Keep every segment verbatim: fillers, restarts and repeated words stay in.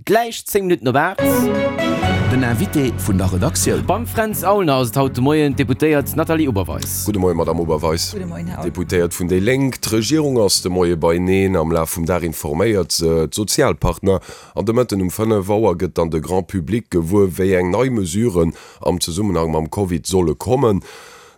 Gläich zéng Minutten op aacht. Den Invité vun der Redaktioun. Beim Fränz Aulner ass et haut de Moien d'Deputéiert Nathalie Oberweis. Gudde Moien, Madamm Oberweis. Gudde Moien, Här Aulner. Deputéiert vun déi Lénk. D'Regierung ass de Moie beineen. Am Laf vum Dag informéiert se d'Sozialpartner. An de Mëtten um fënnef Auer gëtt dann de Grand public gewuer, wéi eng nei Mesuren am Zesummenhang mam Covid solle kommen.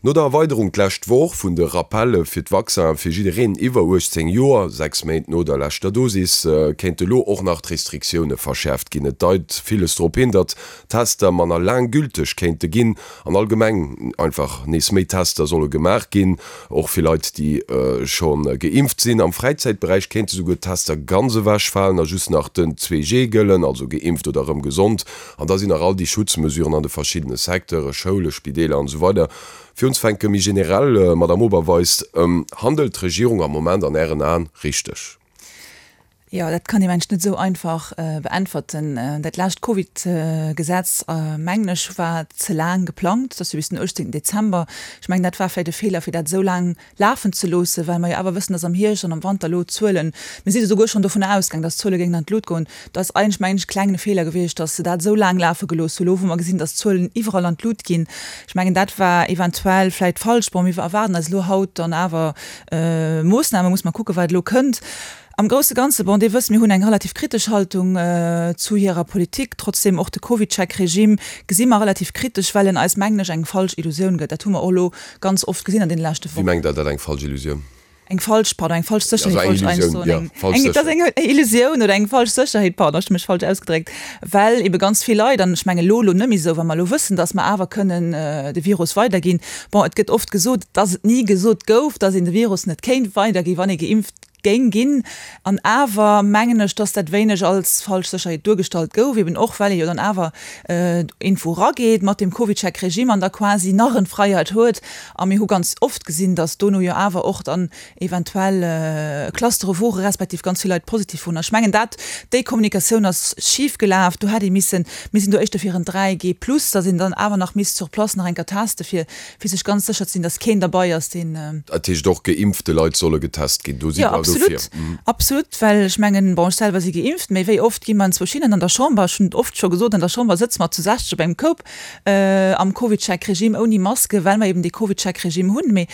No der Erweiderung d'lescht Woch vun de Rappelle fir d'Vaccinen fir jiddereen iwwer uechtzéng Joer, sechs Méint no der leschter Dosis, kéinte lo och nach d'Restriktioune verschäerft ginn. Et deit villes drop hin, datt d'Tester manner laang gülteg kéinte ginn an allgemeng einfach nees méi Tester solle gemaach ginn, och fir Leit, déi scho geimpft sinn. Am Fräizäitberäich kéinte souguer d'Tester ganz ewechfalen a just nach den zwee G gëllen, also geimpft oder erëm gesond. An da sinn nach all déi Schutzmesuren an de verschiddene Secteure, Schoule, Spideeler an esou weider. Fir unzefänke méi generell, Madamm Oberweis, handelt d'Regierung am Moment an Ären Aen richteg? Jo, dat kann ee mengen ech net esou einfach beäntwerten. Dat lescht Covid-Gesetz, mengen ech, war ze laang geplangt, dat ass jo bis den uechtzéngten Dezember. Ech mengen, dat war vläicht e Feeler, fir dat esou laang lafen ze loossen, well mer jo awer wëssen, dass am Hierscht an am Wanter elo d'Zuelen, mir si esouguer schonn dovunner ausgaang, dass d'Zuele géingen an d'Lut goen. Dat ass eigentlech, mengen ech, e klengen Feeler gewiescht, dass se dat esou laang lafe gelooss hunn, elo wou mer gesinn, dass d'Zuelen iwwerall an d'Lut ginn. Ech mengen, dat war eventuell vläicht falsch. Bon, mir erwaarden eis elo haut dann awer Moossnamen, muss mer kucken, wat elo kënnt. Am grousse Ganze, bon, Dir wësst, mir hunn eng relativ kritesch Haltung zu hirer Politik. Trotzdem, och de CovidCheck-Regime gesi mer relativ kritesch, well en eis, mengen ech, eng falsch Illusioun gëtt. Dat hu mer och elo ganz oft gesinn an deene leschte Wéi Wochen. mengt Der dat, eng falsch Illusioun? Eng falsch, pardon, eng falsch Also Sécherheet eng wollt ech eigentlich Illusioun, soen. ja, Eng, falsch eng, et ass Sécherheet. eng Illusioun oder eng falsch Sécherheet, pardon, ech hu mech falsch ausgedréckt, well ebe ganz vill Leit, an ech mengen elo, elo net méi esou, wa mer elo wëssen, dass mer awer kënnen de Virus weiderginn, bon, et gëtt oft gesot, dass et ni gesot gouf, dass een de Virus net kéint weiderginn, wann ee geimpft géing ginn. An awer mengen ech, dass dat wéineg als falsch Sécherheet duergestallt gouf, eben och well ee jo dann awer irgendwou erageet mat deem CovidCheck-Regime an da quasi nach en Freiheit huet. A mir hu ganz oft gesinn, dass dono jo awer och dann eventuell Clustere wore respektiv ganz vill Leit positiv woren. Ech mengen dat, déi Kommunikatioun ass schif gelaf. Do hätt ee missen, mir sinn do éischter fir en dräi G plus, dass een dann awer nach misst sur place nach eng Kéier teste fir fir sech ganz sécher ze sinn, dass keen derbei ass, deen. Dat heescht och geimpfte Leit solle getest ginn. Do sidd Jo, Der dofir? absolut, absolut, well ech mengen, bon, ech selwer si geimpft, mee wéi oft gi mer enzwousch hinnen an der Chamber, ech hunn et oft scho gesot, an der Chamber sëtze mer zu sechzeg op engem Koup am CovidCheck-Regime ouni Maske, well mer eben dee CovidCheck-Regime hunn. Mee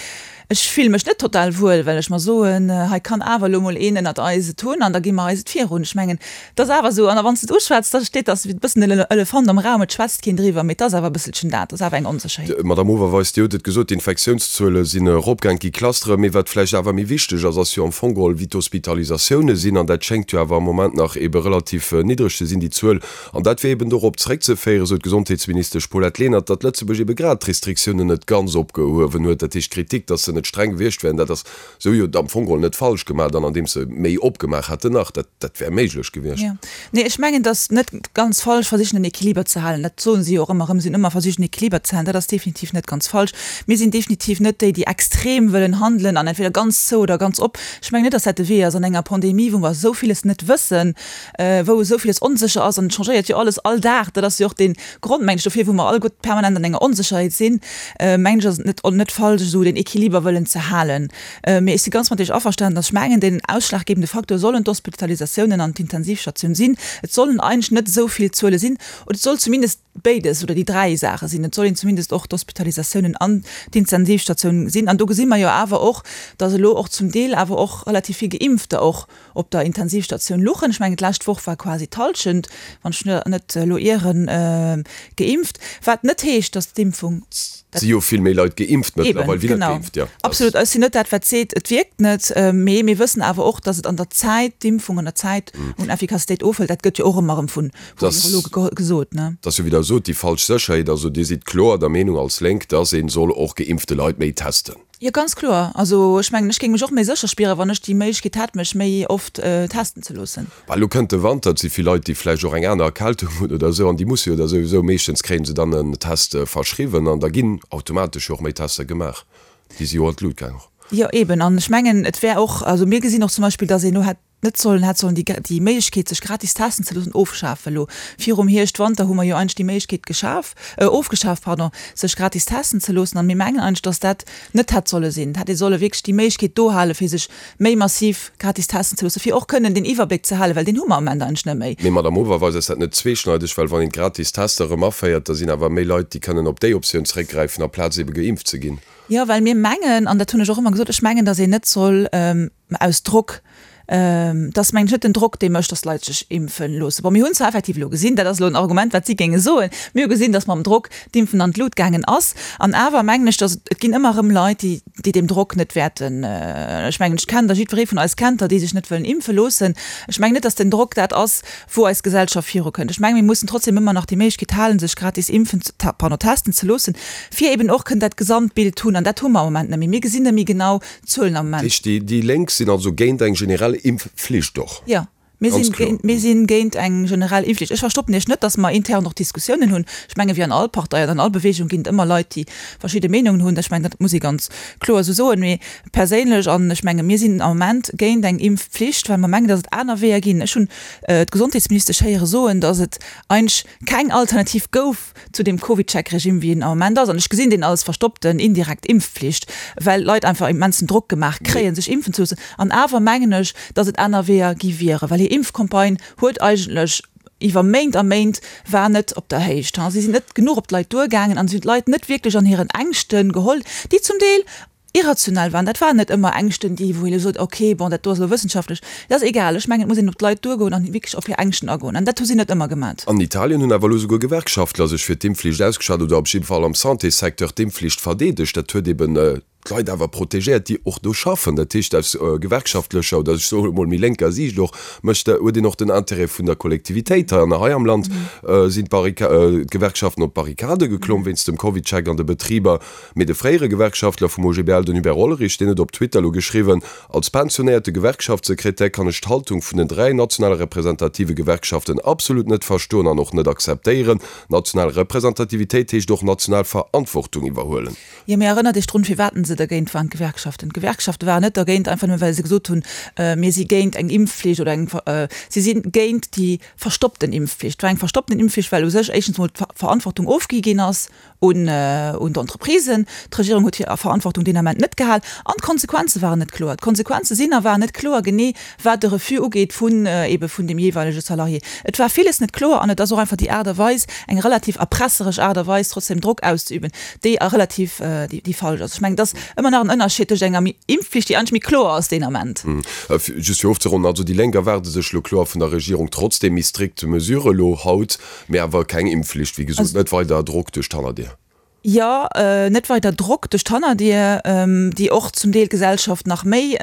ech fille mech net total wuel, well ech mer soen, hei kann awer elo mol een ënnert eis et hunn an da gi mer eis et virun. Ech mengen, et ass awer esou, an a wann s de et uschwätz, da steet, ass e bëssen den Elefant am Raum, et schwätzt keen driwwer, mee et ass awer e bësselchen dat, et ass awer eng Onsécherheet. D'Madame Oberweis, Dir hutt et gesot, d'Infektiounszuele sinn eropgaang, et gi Clustere, mee wat vläicht awer méi wichteg ass, ass jo am Fong geholl, wéi d'Hospitalisatioune sinn, an dat schéngt jo awer am Moment nach eebe relativ niddreg ze sinn, déi Zuel. An dat wier eeben dorop zeréckzeféieren, sou d'Gesondheetsministesch Paulette Lenert, datt Lëtzebuerg eebe grad d'Restriktiounen net ganz opgehuewen huet. Dat heescht, d'Kritik, datt se net streng gewiescht wären, dat ass sou jo am Fong geholl net falsch gemaach dann, andeems se méi opgemaach hätten nach. Dat, dat wär méiglech gewiescht. Jo. Nee, ech mengen, et ass net ganz falsch, versichen en Equiliber ze halen. Dat soen si jo och ëmmer erëm, si hunn ëmmer versicht en Equiliber ze halen. Dat ass definitiv net ganz falsch. Mir sinn definitiv net déi, déi extrem wëllen handelen an entweder ganz zou oder ganz op. Ech mengen net, dass dat de Wee ass an enger Pandemie, wou mer esou villes net wëssen, wou esou villes onsécher ass an et changéiert jo alles all Dag. Dat ass jo och dee Grond, mengen ech, dofir, wou mer alleguer permanent an enger Onsécherheet sinn, mengen ech, ass et net, net falsch, esou deen Equiliber wëllen ze halen. Mee ech si ganz mat Iech averstanen, dass ech mengen, deen ausschlaggebende Faktor sollen d'Hospitalisatiounen an d'Intensivstatioun sinn. Et sollen eigentlech net esou vill Zuele sinn, oder et soll zumindest béides oder déi dräi Saache sinn. Et soll een zumindest och d'Hospitalisatiounen an d'Intensivstatioun sinn. An do gesi mer jo awer och, dass elo och zum Deel awer och relativ vill Geimpfter och op der Intensivstatioun luchen. Ech mengen, d'lescht Woch war quasi d'Hallschent, wann ech net elo ieren, geimpft. Wat net heescht, dass d'Impfung. Et si jo vill méi Leit geimpft mëttlerweil wéi net geimpft, jo. Absolut. Ech sinn net dat, wat seet, et wierkt net. Mee mir wëssen awer och, dass et an der Zäit, d'Impfung an der Zäit un Effikassitéit ofhëlt. Dat gëtt jo och ëmmer erëm vu Virologe gesot, ne? Et ass jo, wéi Der sot, déi falsch Sécherheet. Also Dir sidd kloer der Meenung als Lénk, dass ee soll och geimpfte Leit méi testen. Jo, ganz kloer. Also ech mengen, ech géing mech och méi sécher spieren, wann ech déi Méiglechkeet hätt, mech méi oft testen ze loossen. Well elo kënnt de Wanter, et si vill Leit, déi vläicht och eng aner Erkältung hunn oder esou, an déi musse jo da souwisou, meeschtens kréie se dann en Test verschriwwen an da ginn automatesch jo och méi Tester gemaach. Déi si jo an d'Lut gaang och. Jo, eben. An ech mengen, et wär och, also mir gesinn och zum Beispill, dass een elo hätt, net sollen, hätt sollen déi, déi Méiglechkeet, sech gratis testen ze loossen, ofschafen. Elo virum Hierscht, Wanter hu mer jo eigentlech déi Méiglechkeet geschaf, ofgeschaf, pardon, sech gratis testen ze loossen. An mir mengen eigentlech, dass dat net hätt solle sinn. Et hätt ee solle wierklech déi Méiglechkeet do halen, fir sech méi massiv gratis testen ze loossen, fir och kënnen deen Iwwerbléck ze halen, well deen hu mer am Ament eigentlech net méi. Mee Madame Oberweis, ass dat net zweeschneideg? Well wann een d'gratis Tester erëm aféiert, da sinn awer méi Leit, déi kënnen op déi Optioun zeréckgräifen, amplaz ebe geimpft ze ginn. Jo, well mir mengen, an dat hunn ech och ëmmer gesot, ech mengen, datt een net soll aus Drock, et ass mengen ech net den Drock, dee mécht, datt d'Leit sech impfe loossen. Bon, mir hunn zwar effektiv elo gesinn, dat ass elo en Argument, wat si géinge soen, mir hu gesinn, datt mam Drock d'Impfen an d'Lut gaangen ass. An awer mengen ech, datt et ginn ëmmer erëm Leit, déi, déi deem Drock net wäerten, ech mengen, ech kennen der, jiddweree vun eis kennt der, déi sech net wëllen impfe loossen. Ech mengen net, datt den Drock dat ass, wou eis Gesellschaft virukënnt. Ech mengen, mir mussen trotzdem ëmmer nach déi Méiglechkeet halen, sech gratis impfen, pardon, testen ze loossen, fir eben och kënnen dat Gesamtbild hunn. An dat hu mer am Moment net méi. Mir gesinn net méi genau d'Zuelen am Moment. Dat heescht, déi Lénk sinn also géint eng generell Impfflicht och? Jo, mir sinn géint, mir sinn géint eng generell Impfflicht. Ech verstoppen Iech net, datt mer intern och Diskussiounen hunn. Ech menge wéi an all Partei an an all Bewegung ginn et ëmmer Leit, déi verschidde Meenungen hunn. Ech mengen, dat muss ee ganz kloer esou soen. Mee perséinlech, an ech menge mir sinn am Moment géint eng Impfflicht, well mer mengen, datt et aner Weeër ginn. Ech hunn d'Gesondheetsministesch héiere soen, datt et eigentlech keng Alternativ gouf zu deem CovidCheck-Regime, wéi en am Moment ass. An ech gesinn deen als verstoppten indirekt Impfflicht, well d'Leit einfach immensen Drock gemaach kréien, sech impfen ze loossen. An awer mengen ech, datt et aner Weeër gi wieren, well hir Impfcampagne huet eigentlech iwwer Méint a Méint war net op der Héicht. Si sinn net genuch op d'Leit duergaangen an si hunn d'Leit net wierklech an hiren Ängschte geholl, déi zum Deel irrationell waren. Dat waren net ëmmer Ängschten, déi, wou ee elo sot, okay, bon, dat do ass elo wëssenschaftlech, dat ass egal. Ech mengen, et muss een op d'Leit duergoen an wierklech op hir Ängschten agoen. An dat hu si net ëmmer gemat. An Italien hunn awer elo souguer Gewerkschaftler sech fir d'Impfflicht ausgeschwat oder op jidde Fall am Santéssecteur d'Impfflicht verdeedegt. Dat huet eben d'Leit awer protegéiert, déi och do schaffen. Dat heescht, aus gewerkschaftlecher oder ech soe mol méi lénker Siicht och mécht, huet een och den Intérêt vun der Kollektivitéit hei. An hei am Land sinn d'Gewerkschaften op d'Barrikade geklomm wéinst dem CovidCheck an de Betriber. Mee de fréiere Gewerkschaftler vum O G B L, den Hubert Hollerich, deen huet op Twitter elo geschriwwen, Als pensionéierte Gewerkschaftssekretär kann ech d'Haltung vun den dräi nationale representative Gewerkschaften absolut net verstoen an och net akzeptéieren. National Representativitéit heescht och national Verantwortung iwwerhuelen. Jo, mee erënnert Iech drun, firwat se dergéint waren, d'Gewerkschaften. D'Gewerkschafte waren net dergéint, einfach nëmme well se gesot hunn, mir si géint eng Impfflicht oder eng, si si géint déi verstoppten Impfflicht. Et war eng verstoppten Impfflicht, well u sech éischtens emol d'Verantwortung ofgi ginn ass un d'Entreprisen. D'Regierung huet hir Verantwortung deen Ament net gehal an d'Konsequenze waren net kloer. D'Konsequenze sinn a waren net kloer, genee wat de Refus ugeet vun ebe vun deem jeeweilege Salarié. Et war villes net kloer an et ass och einfach déi Aart a Weis, eng relativ erpresseresch Aart a Weis, trotzdem Drock auszeüben, déi relativ, déi falsch ass. Ech mengen, et ass ëmmer nach en Ënnerscheed tëscht enger Impfflicht, déi eigentlech méi kloer ass deen Ament. Just fir ofzeronnen, also déi Lénk erwaarde sech elo kloer vun der Regierung trotzdem méi strikt Mesurë elo haut, mee awer keng Impfflicht, wéi gesot, net weider Drock duerch d'Hannerdier. Jo, net weider Drock duerch d'Hannerdier, déi och zum Deel d'Gesellschaft nach méi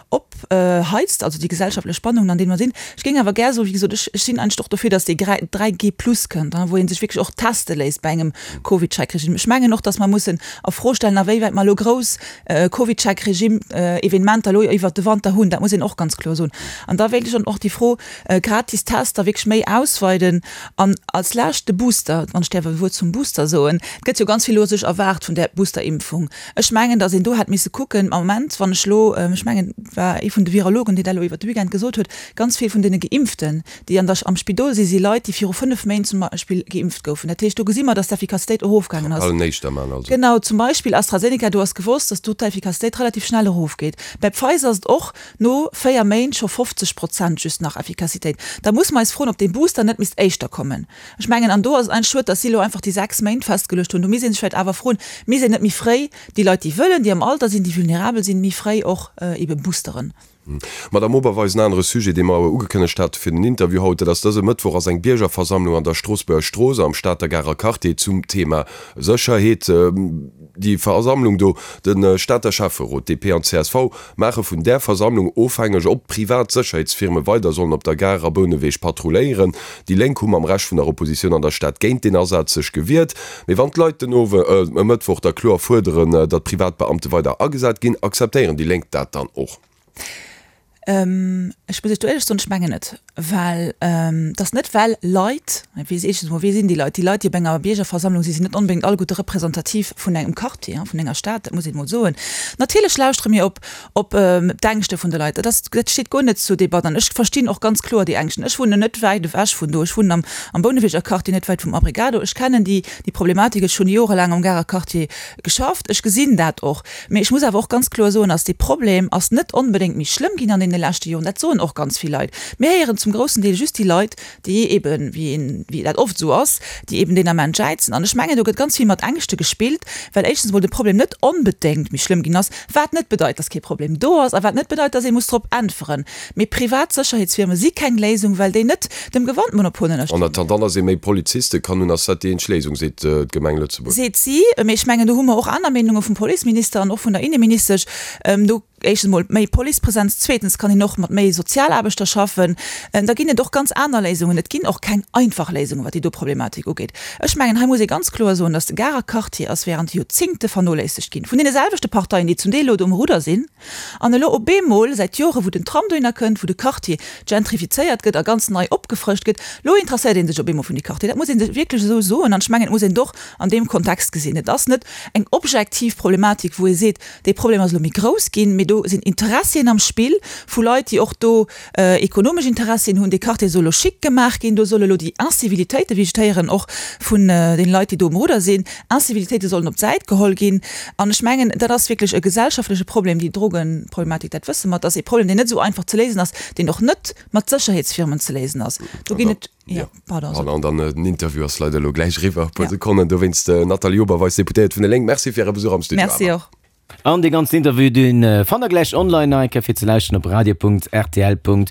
opheizt, also déi gesellschaftlech Spannungen, an deene mer sinn. Ech géing awer gär soen, wéi gesot, ech sinn eigentlech och dofir, datt dee dräi G plus kënnt, wou ee sech wierklech och teste léisst bei engem CovidCheck-Regime. Ech mengen och, datt mer mussen a Fro stellen, awéiwäit mer elo grouss CovidCheck-Regime-Evenementer elo iwwert de Wanter hunn. Dat muss een och ganz kloer soen. An da wéilt ech dann och déi Fro gratis Tester wierklech méi ausweiden. An als Lescht de Booster, wann ech däerf e Wuert zum Booster soen. Et gëtt jo ganz vill elo sech erwaart vun där Boosterimpfung. Ech mengen, datt een do hätt misse kucken, am Moment, wann ech elo, ech mengen, et war ee vun de Virologen, deen dat elo iwwert de Weekend gesot huet, ganz vill vun deene Geimpften, déi an der, am Spidol sinn, si Leit, déi viru fënnef Méint zum Beispill geimpft goufen. Dat heescht, do gesi mer, datt d'Effikassitéit erofgaangen ass. Allen éischter man also. Genau, zum Beispill AstraZeneca, do ass gewosst, datt do d'Effikassitéit relativ schnell erofgeet. Bei Pfizer ass et och no véier Méint scho fofzeg Prozent just nach Effikassitéit. Da muss mer eis froen, ob dee Booster net misst éischter kommen. Ech mengen, an do ass et eigentlech schued, datt si elo einfach déi sechs Méint festgeluecht hunn. Do misst ee sech vläicht awer froen, misst een net méi fréi déi Leit, déi wëllen, déi am Alter sinn, déi vulnerabel sinn, méi fréi och ebe boosteren? Madamm Oberweis, en anere Sujet, dee mer ugekënnegt hate fir den Interview haut, dat ass, dëse Mëttwoch ass eng Biergerversammlung an der Stroossbuerger Strooss am Stater Garer Quartier zum Thema Sécherheet. Déi Versammlung do, de Stater Schäfferot, D P an C S V maache vun där Versammlung ofhängeg, ob privat Sécherheetsfirme weider sollen op der Gare a Bouneweg patrulléieren. Déi Lénk hu mam Rescht vun der Oppositioun an der Stad géint deen Asaz sech gewiert. Mee wann d'Leit den Owe e Mëttwoch da kloer fuerderen, datt privat Beamte weider agesat ginn, akzeptéieren déi Lénk dat dann och? Ech muss Iech do éierlech soen, ech mengen net, well et ass net well Leit, wee si, éischtens emol, wee sinn déi Leit? Déi Leit, déi op enger Biergerversammlung sinn, sinn net onbedéngt alleguerte representativ vun engem Quartier, vun enger Stad, dat muss een emol soen. Natierlech lauschtere mir op op d'Ängschte vun de Leit, dat ass, dat steet guer net zur Debatt an ech verstinn och ganz kloer déi Ängschten. Ech wunnen net wäit ewech vun do, ech wunnen am am Bouneweger Quartier, net wäit vum Abrigado. Ech kennen déi déi Problematik, ech hunn jorelaang am Garer Quartier geschafft, ech gesinn dat och. Mee ech muss awer och ganz kloer soen, dass dee Problem ass net onbedéngt méi schlëmm ginn an deene leschte Joren. Dat soen och ganz vill Leit. Mir héieren zum groussen Deel just déi Leit, déi eeben, wéi een, wéi dat oft esou ass, déi eeben deen Ament jäizen. An ech mengen, do gëtt ganz vill mat Ängschte gespillt, well éischtens emol de Problem net onbedéngt méi schlëmm ginn ass, wat net bedeit, dass kee Problem do ass a wat net bedeit, dass ee muss drop äntweren. Mee privat Sécherheetsfirme si keng Léisung, well déi net dem Gewaltmonopol ënnerstinn. En attendant, dass ee méi Poliziste kann hunn, ass dat déi eenzeg Léisung, seet d'Gemeng Lëtzebuerg. Seet si. Mee ech mengen, do hu mer och aner Meenunge vum Policeminister an och vun der Inneministesch. Do éischtens emol méi Policepresenz, zweetens kann een och mat méi Sozialaarbechter schaffen. Da ginn et och ganz aner Léisungen. Et ginn och keng einfach Léisungen, wat déi do Problematik ugeet. Ech mengen, hei muss ee ganz kloer soen, dass de Garer Quartier ass während Joerzingte vernoléissegt ginn vun deene selwechte Parteien, déi zum Deel elo do um Rudder sinn an elo op eemol säit Jore wou den Tram dohinner kënnt, wou de Quartier gentrifizéiert gëtt a ganz nei opgefrëscht gëtt, elo interesséiert ee sech op eemol vun dee Quartier. Dat muss ee sech wierklech esou soen an ech mengen, et muss een et och an deem Kontext gesinn. Et ass net eng objektiv Problematik, wou ee seet, dee Problem ass elo méi grouss ginn, mee do sinn Interessien am Spill vu Leit, déi och do ekonomesch Interessien hunn. Dee Quartier soll elo chic gemaach ginn, do solle elo déi Incivilitéiten, wéi ech et héieren, och vun deene Leit, déi do um Rudder sinn, Incivilitéite sollen op d'Säit geholl ginn. An ech mengen, dat ass wierklech e gesellschaftleche Problem, déi Drogenproblematik, dat wësse mer. Et ass ee Problem, deen net esou einfach ze léisen ass, deen och net mat Sécherheetsfirmen ze léisen ass. Do ginn et, jo, pardon. An dann den Interview ass leider elo gläich eriwwer, e puer Sekonnen. Dowéinst, Nathalie Oberweis, Deputéiert vun de Lénk, Merci fir Äre Besuch am Studio. Merci och. An dee ganzen Interview, dee fannt der gläich online nach eng Kéier fir ze lauschteren op radio.rtl.lu.